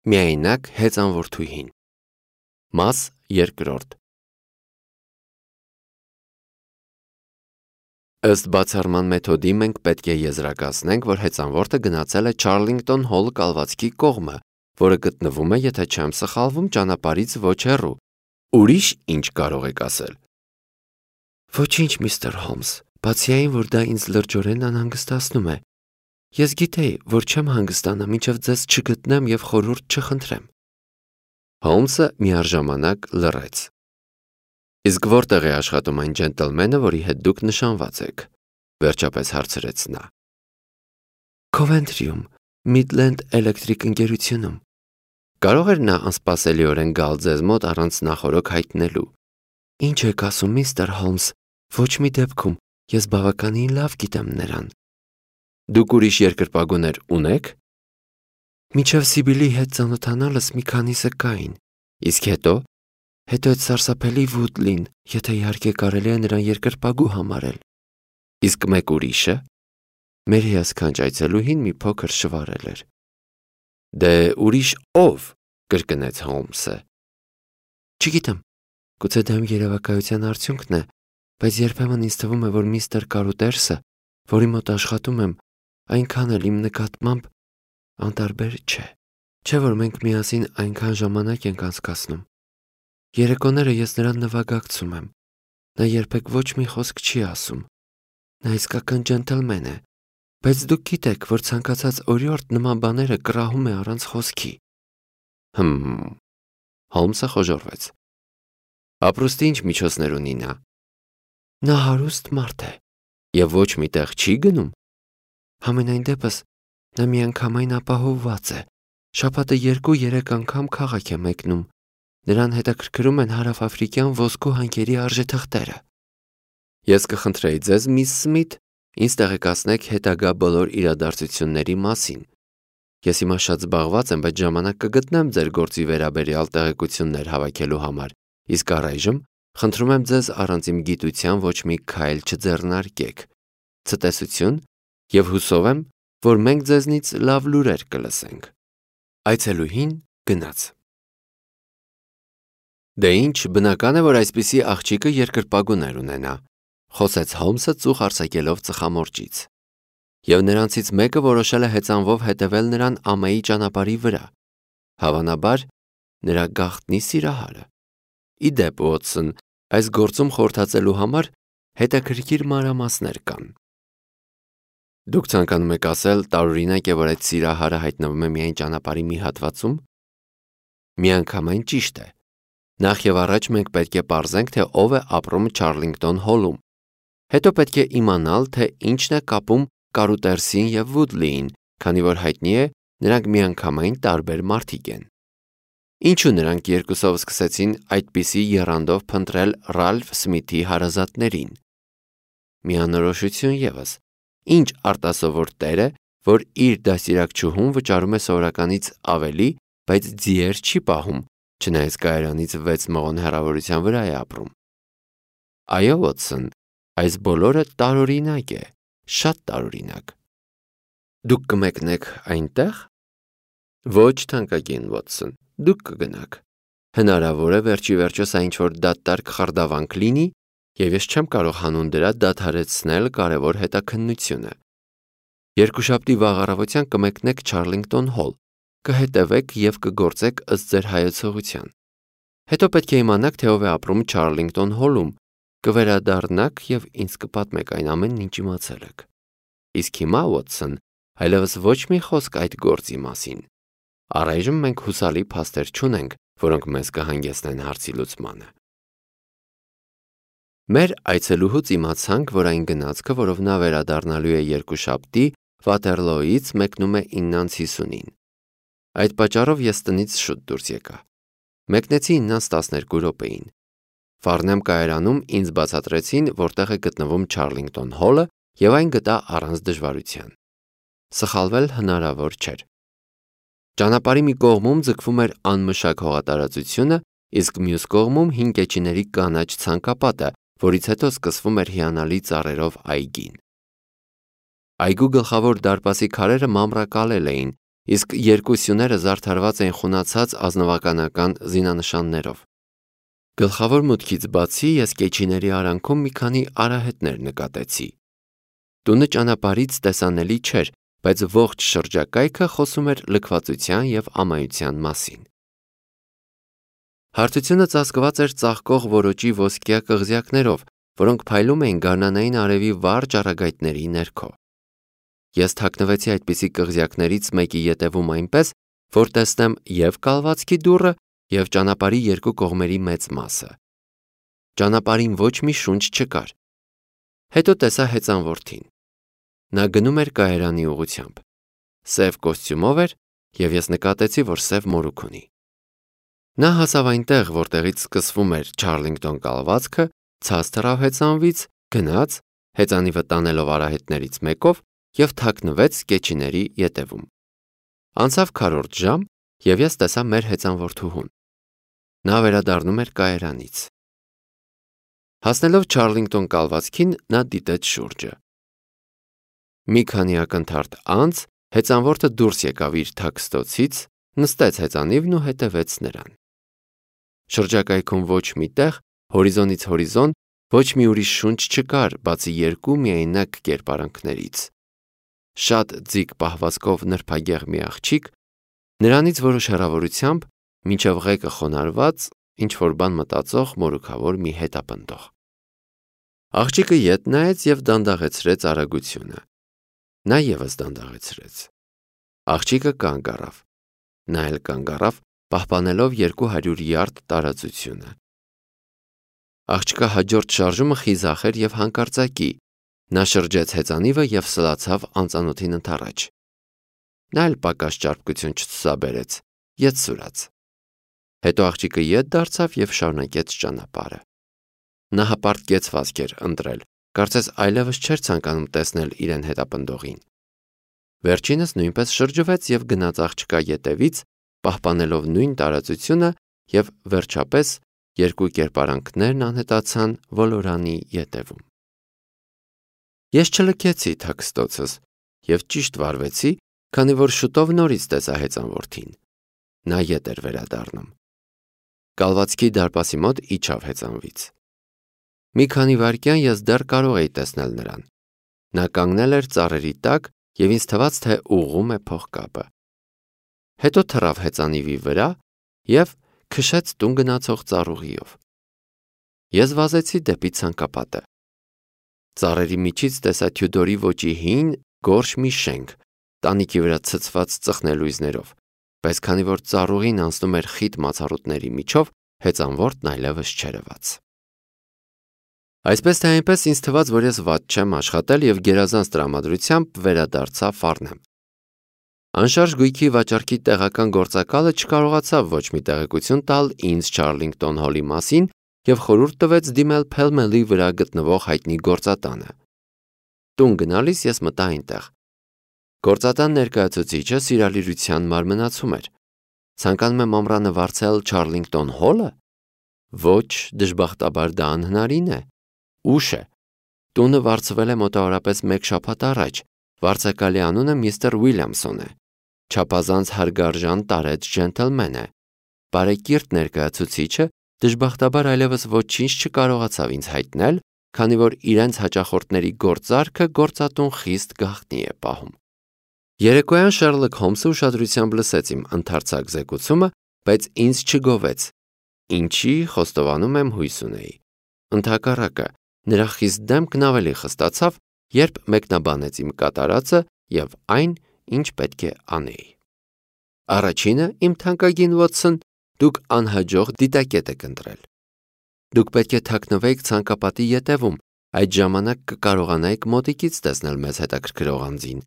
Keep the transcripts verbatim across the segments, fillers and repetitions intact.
Միայնակ հեծանվորդուհին։ Մաս երկրորդ։ Ըստ բացառման մեթոդի մենք պետք է եզրակացնենք, որ հեծանվորդը գնացել է Չարլինգտոն Հոլ կալվածքի կողմը, որը գտնվում է, եթե չեմ սխալվում, ճանապարհից ոչ հեռու։ Ուրիշ ինչ կարող եք ասել։ Ոչինչ, միստր Հոլմս, բացի այն, որ դա ինձ լրջորեն անհանգստացնում է։ Ես գիտեի, որ չեմ հանգստանա, մինչև ձեզ չգտնեմ և խորհուրդ չխնդրեմ։ Հոլմսը միառժամանակ լռեց։ Իսկ որտեղ է աշխատում այն ջենտլմենը, որի հետ դուք նշանված եք, վերջապես հարցրեց նա։ Քովենթրիում, Միդլենդ էլեկտրիկ ընկերությունում։ Կարող էր նա անսպասելիորեն գալ ձեզ մոտ առանց նախօրոք հայտնելու։ Ինչ եք ասում, միստր Հոլմս, ոչ մի դեպքում, ես բավականին լավ գիտեմ նրան։ Դուք ուրիշ երկրպագուներ ունեք։ Մինչև Սիբիլի հետ ծանոթանալս մի քանիսը կային, իսկ հետո, հետո այդ սարսափելի Վուդլին, եթե իհարկե կարելի է նրան երկրպագու համարել։ Իսկ մեկ ուրիշը։ Մեր հիասքանչ այցելուհին մի փոքր շվարել էր։ Դե ուրիշ ով, կրկնեց Հոլմսը։ Չգիտեմ, գուցե դա իմ երևակայության արդյունքն է, բայց երբեմն ինձ թվում է, որ միստր Կարուտերսը, որի մոտ աշխատում եմ, այնքան էլ իմ նկատմամբ անտարբեր չէ։ Չէ՞ որ մենք միասին այնքան ժամանակ ենք անցկացնում։ Երեկոները ես նրան նվագակցում եմ։ Նա երբեք ոչ մի խոսք չի ասում։ Նա իսկական ջենտլմեն է, բայց դուք գիտեք, որ ցանկացած օրիորդ նման բաները կռահում է առանց խոսքի։ Հմ։ Հոլմսը խոժոռվեց։ Ապրուստի ինչ միջոցներ ունի նա։ Նա հարուստ մարդ է և ոչ մի տեղ չի գնում։ Համենայն դեպս նա միանգամայն ապահովված է։ Շաբաթը երկու-երեք անգամ քաղաք է մեկնում։ Նրան հետաքրքրում են հարավաֆրիկյան ոսկու հանքերի արժեթղթերը։ Ես կխնդրեի ձեզ, միս Սմիթ, ինձ տեղեկացնեք հետագա բոլոր իրադարձությունների մասին։ Ես հիմա շատ զբաղված եմ, բայց ժամանակ կգտնեմ ձեր գործի վերաբերյալ տեղեկություններ հավաքելու համար, իսկ առայժմ խնդրում եմ ձեզ առանց իմ գիտության ոչ մի քայլ չձեռնարկեք։ Ցտեսություն և հուսով եմ, որ մենք ձեզնից լավ լուրեր կլսենք։ Այցելուհին գնաց։ Դե ինչ, բնական է, որ այսպիսի աղջիկը երկրպագուներ ունենա, խոսեց Հոլմսը ծուխ արձակելով ծխամորճից։ Եվ նրանցից մեկը որոշել է հեծանվով հետևել նրան ամայի ճանապարհի վրա։ Հավանաբար, նրա գաղտնի սիրահարը։ Ի դեպ, Ուոտսոն, այս գործում խորհրդածելու համար հետաքրքիր մանրամասներ կան։ Դուք ցանկանում եք ասել, տարօրինակ է, որ այդ սիրահարը հայտնվում է միայն ճանապարհի մի հատվածում։ Միանգամայն ճիշտ է։ Նախ եւ առաջ մենք պետք է պարզենք, թե ով է ապրում Չարլինգտոն Հոլում։ Հետո պետք է իմանալ, թե ինչն է կապում Կարուտերսին և Վուդլիին, քանի որ հայտնի է, նրանք միանգամայն տարբեր մարդիկ են։ Ինչու նրանք երկուսով սկսեցին այդպիսի եռանդով փնտրել Ռալֆ Սմիթի հարազատներին։ Միանորոշություն ևս։ Ինչ արտասովոր տեր է, որ իր դաստիարակչուհուն վճարում է սովորականից ավելի, բայց ձիեր չի պահում, չնայած կայարանից վեց մղոն հեռավորության վրա է ապրում։ Այո, Վոտսոն, այս բոլորը տարօրինակ է, շատ տարօրինակ։ Դուք կմեկնեք այնտեղ։ Ոչ, թանկագին Վոտսոն, դուք կգնաք։ Հնարավոր է վերջի վերջո սա ինչ-որ դատարկ խարդավանք լինի, և ես չեմ կարող հանուն դրա դադարեցնել կարևոր հետաքննությունը։ Երկուշաբթի վաղ առավոտյան կմեկնեք Չարլինգտոն Հոլ, կհետևեք և կգործեք ըստ ձեր հայեցողության։ Հետո պետք է իմանաք, թե ով է ապրում Չարլինգտոն Հոլում, կվերադառնաք և ինձ կպատմեք այն ամենն, ինչ իմացել եք։ Իսկ հիմա, Ուոտսոն, այլևս ոչ մի խոսք այդ գործի մասին։ Առայժմ մենք հուսալի փաստեր չունենք, որոնք մեզ կհանգեցնեն հարցի լուծմանը։ Մեր այցելուհուց իմացանք, որ այն գնացքը, որով նա վերադառնալու է երկուշաբթի, Վաթերլոյից մեկնում է իննանց հիսունին։ Այդ պատճառով ես տնից շուտ դուրս եկա։ Մեկնեցի իննանց տասներկու րոպեին։ Ֆարնեմ կայարանում ինձ բացատրեցին, որտեղ է գտնվում Չարլինգտոն Հոլը, և այն գտա առանց դժվարության։ Սխալվել հնարավոր չէր։ Ճանապարհի մի կողմում ձգվում էր անմշակ հողատարածությունը, իսկ մյուս կողմում հին կեչիների կանաչ ցանկապատը, որից հետո սկսվում էր հիանալի ծառերով այգին։ Այգու գլխավոր դարպասի քարերը մանրակալել էին, իսկ երկու սյուները զարդարված էին խունացած ազնվականական զինանշաններով։ Գլխավոր մուտքից բացի ես կեչիների արանքում մի քանի արահետներ նկատեցի։ Տունը ճանապարհից տեսանելի չէր, բայց ողջ շրջակայքը խոսում էր լքվածության և ամայության մասին։ Հարթությունը ծածկված էր ծաղկող որոճի ոսկյա կղզյակներով, որոնք փայլում էին գարնանային արևի վառ ճառագայթների ներքո։ Ես թաքնվեցի այդպիսի կղզյակներից մեկի ետևում այնպես, որ տեսնեմ և կալվածքի դուռը, և ճանապարհի երկու կողմերի մեծ մասը։ Ճանապարհին ոչ մի շունչ չկար։ Հետո տեսա հեծան որդին։ Նա գնում էր կայարանի ուղղությամբ։ Սև կոստյումով էր, և ես նկատեցի, որ սև մորուք ունի։ Նա հասավ այնտեղ, որտեղից սկսվում էր Չարլինգտոն կալվածքը, ցած թռավ հեծանվից, գնաց, հեծանիվը տանելով արահետներից մեկով, և թաքնվեց կեչիների ետևում։ Անցավ քառորդ ժամ, և ես տեսա մեր հեծան որդուհուն։ Նա վերադառնում էր կայարանից։ Հասնելով Չարլինգտոն կալվածքին, նա դիտեց շուրջը։ Մի քանի ակնթարթ անց հեծանորդը դուրս եկավ իր թաքստոցից, նստեց հեծանիվն ու հետևեց նրան։ Շրջակայքում ոչ մի տեղ, հորիզոնից հորիզոն, ոչ մի ուրիշ շունչ չկար, բացի երկու միայնակ կերպարանքներից։ Շատ ձիգ պահվածքով նրբագեղ մի աղջիկ, նրանից որոշ հեռավորությամբ, մինչև ղեկը խոնարհված, ինչ-որ բան մտածող մորուքավոր մի հետապնդող։ Աղջիկը ետ նայեց և դանդաղեցրեց արագությունը։ Նա ևս դանդաղեցրեց։ Աղջիկը կանգ առավ։ Նա էլ կանգ առավ, պահպանելով երկու հարյուր յարդ տարածությունը։ Աղջկա հաջորդ շարժումը խիզախ էր և հանկարծակի։ Նա շրջեց հեծանիվը և սլացավ անծանոթին ընդառաջ։ Նա էլ պակաս ճարպկություն չցուցաբերեց, ետ սուրաց։ Հետո աղջիկը ետ դարձավ և շարունակեց ճանապարհը։ Նա հպարտ կեցվածք էր ընտրել, կարծես այլևս չէր ցանկանում տեսնել իրեն հետապնդողին։ Վերջինս նույնպես շրջվեց և գնաց աղջկա ետևից, պահպանելով նույն տարածությունը, և վերջապես երկու կերպարանքներն անհետացան ոլորանի ետևում։ Ես չլքեցի թաքստոցս և ճիշտ վարվեցի, քանի որ շուտով նորից տեսա հեծան որդին։ Նա ետ էր վերադառնում։ Կալվածքի դարպասի մոտ իջավ հեծանվից։ Մի քանի վայրկյան ես դեռ կարող էի տեսնել նրան։ Նա կանգնել էր ծառերի տակ և ինձ թվաց, թե ուղղում է փողկապը։ Հետո թռավ հեծանիվի վրա և քշեց տուն գնացող ծառուղիով։ Ես վազեցի դեպի ցանկապատը։ Ծառերի միջից տեսա Թյուդորի ոճի հին, գորշ մի շենք, տանիքի վրա ցցված ծխնելույզներով, բայց քանի որ ծառուղին անցնում էր խիտ մացառուտների միջով, հեծանորդն այլևս չերևաց։ Այսպես թե այնպես ինձ թվաց, որ ես վատ չեմ աշխատել և գերազանց տրամադրությամբ վերադարձա Ֆարնեմ։ Անշարժ գույքի վաճառքի տեղական գործակալը չկարողացավ ոչ մի տեղեկություն տալ ինձ Չարլինգտոն հոլի մասին և խորհուրդ տվեց դիմել Փելմելի վրա գտնվող հայտնի գործատանը։ Տուն գնալիս ես մտա այնտեղ։ Գործատան ներկայացուցիչը սիրալիրության մարմնացում էր։ Ցանկանում եմ ամռանը վարձել Չարլինգտոն հոլը։ Ոչ, դժբախտաբար դա անհնարին է։ Ուշ է։ Տունը վարձվել է մոտավորապես մեկ շաբաթ առաջ։ Վարձակալի անունը միստր Ուիլյամսոն է։ Չափազանց հարգարժան տարեց ջենթլմեն է։ Բարեկիրթ ներկայացուցիչը դժբախտաբար այլևս ոչինչ չկարողացավ ինձ հայտնել, քանի որ իրենց հաճախորդների գործարքը գործատուն խիստ գաղտնի է պահում։ Երեկոյան Շերլոք Հոլմսը ուշադրությամբ լսեց իմ ընդարձակ զեկուցումը, բայց ինձ չգովեց, ինչի խոստովանում եմ հույս ունեի։ Ընդհակառակը, նրա խիստ դեմքն ավելի խստացավ, երբ մեկնաբանեց իմ կատարածը և այն, ինչ պետք է անեի։ Առաջինը, իմ թանկագին Վոթսոն, դուք անհաջող դիտակետ եք ընտրել։ Դուք պետք է թաքնվեիք ցանկապատի ետևում, այդ ժամանակ կկարողանայիք մոտիկից տեսնել մեզ հետաքրքրող անձին։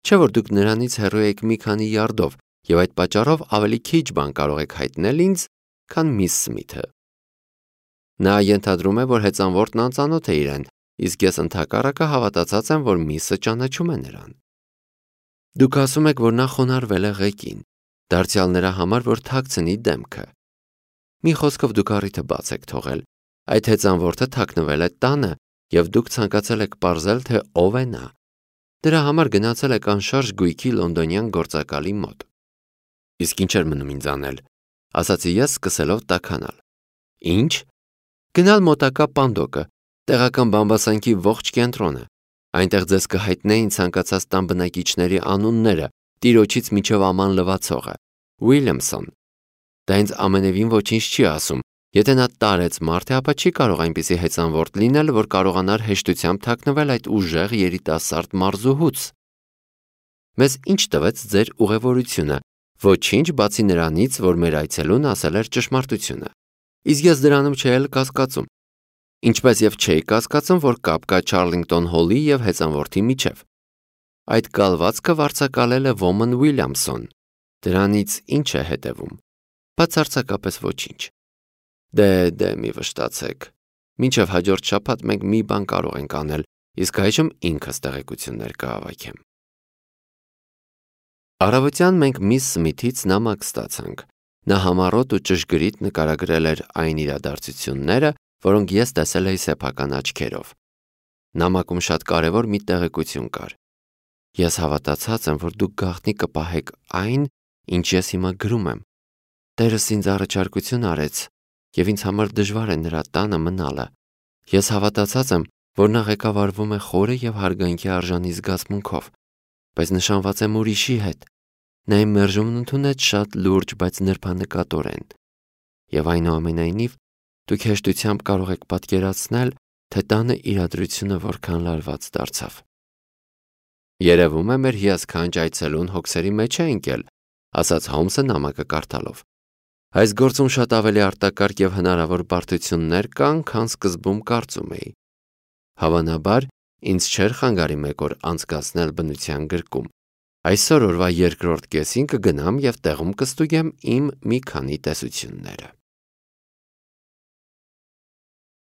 Չէ՞ որ դուք նրանից հեռու եք մի քանի յարդով և այդ պատճառով ավելի քիչ բան կարող եք հայտնել ինձ, քան միս Սմիթը։ Նա ենթադրում է, որ հեծանվորդն անծանոթ է իրեն, իսկ ես ընդհակառակը հավատացած եմ, որ միսը ճանաչում է նրան։ Դուք ասում եք, որ նա խոնարհվել է ղեկին, դարձյալ նրա համար, որ թաքցնի դեմքը։ Մի խոսքով դուք առիթը բաց եք թողել։ Այդ հեծանվորդը թաքնվել է տանը, և դուք ցանկացել եք պարզել, թե ով է նա։ Դրա համար գնացել եք անշարժ գույքի լոնդոնյան գործակալի մոտ։ Իսկ ինչ էր մնում ինձ անել, ասացի ես սկսելով տաքանալ։ Ինչ։ Գնալ մոտակա Պանդոկը, տեղական բամբասանքի ողջ կենտրոնը։ Այնտեղ ձեզ կհայտնեին ցանկացած տան բնակիչների անունները, տիրոջից մինչև աման լվացողը։ Ուիլյամսոն։ Դա ինձ ամենևին ոչինչ չի ասում։ Եթե նա տարեց մարդ է, ապա չի կարող այնպիսի հեծանվորդ լինել, որ կարողանար հեշտությամբ թաքնվել այդ ուժեղ երիտասարդ մարզուհուց։ Մեզ ինչ տվեց ձեր ուղևորությունը։ Ոչինչ բացի նրանից, որ մեր այցելուն ասել էր ճշմարտությունը։ Իսկ ես դրանում չէի էլ կասկածում։ Ինչպես եւ չէի կասկածում, որ կապ կա Չարլինգտոն հոլի եւ հեծանվորդի միջև։ Այդ կալվածքը վարձակալել է Ոմն Ուիլյամսոն։ Դրանից ինչ է հետևում։ Բացարձակապես ոչինչ։ Դե, դե, մի վշտացեք։ Մինչև հաջորդ շաբաթ մենք մի բան կարող ենք անել, իսկ այժմ ինքս տեղեկություններ կհավաքեմ։ Առավոտյան մենք միս Սմիթից նամակ ստացանք։ Նա համառոտ ու ճշգրիտ նկարագրել էր այն իրադարձությունները, որոնք ես տեսել էի սեփական աչքերով։ Նամակում շատ կարևոր մի տեղեկություն կար։ Ես հավատացած եմ, որ դուք գաղտնի կպահեք այն, ինչ ես հիմա գրում եմ։ Տերս ինձ առաջարկություն արեց, եւ ինձ համար դժվար է նրա տանը մնալը։ Ես հավատացած եմ, որ նա ղեկավարվում է խորը եւ հարգանքի արժանի զգացմունքով, բայց նշանված եմ ուրիշի հետ։ Նա իմ մերժումն ընդունեց շատ լուրջ, բայց նրբանկատորեն։ Եվ այնուամենայնիվ, դուք հեշտությամբ կարող եք պատկերացնել, թե տանը իրադրությունը որքան լարված դարձավ։ Երևում է մեր հիասքանչ այցելուն հոգսերի մեջ է ընկել, ասաց Հոլմսը նամակը կարդալով։ Այս գործում շատ ավելի արտակարգ եւ հնարավոր բարդություններ կան, քան սկզբում կարծում էի։ Հավանաբար, ինձ չէր խանգարի մեկ օր անցկացնել բնության գրկում։ Այսօր օրվա երկրորդ կեսին կգնամ եւ տեղում կստուգեմ իմ մի քանի տեսությունները։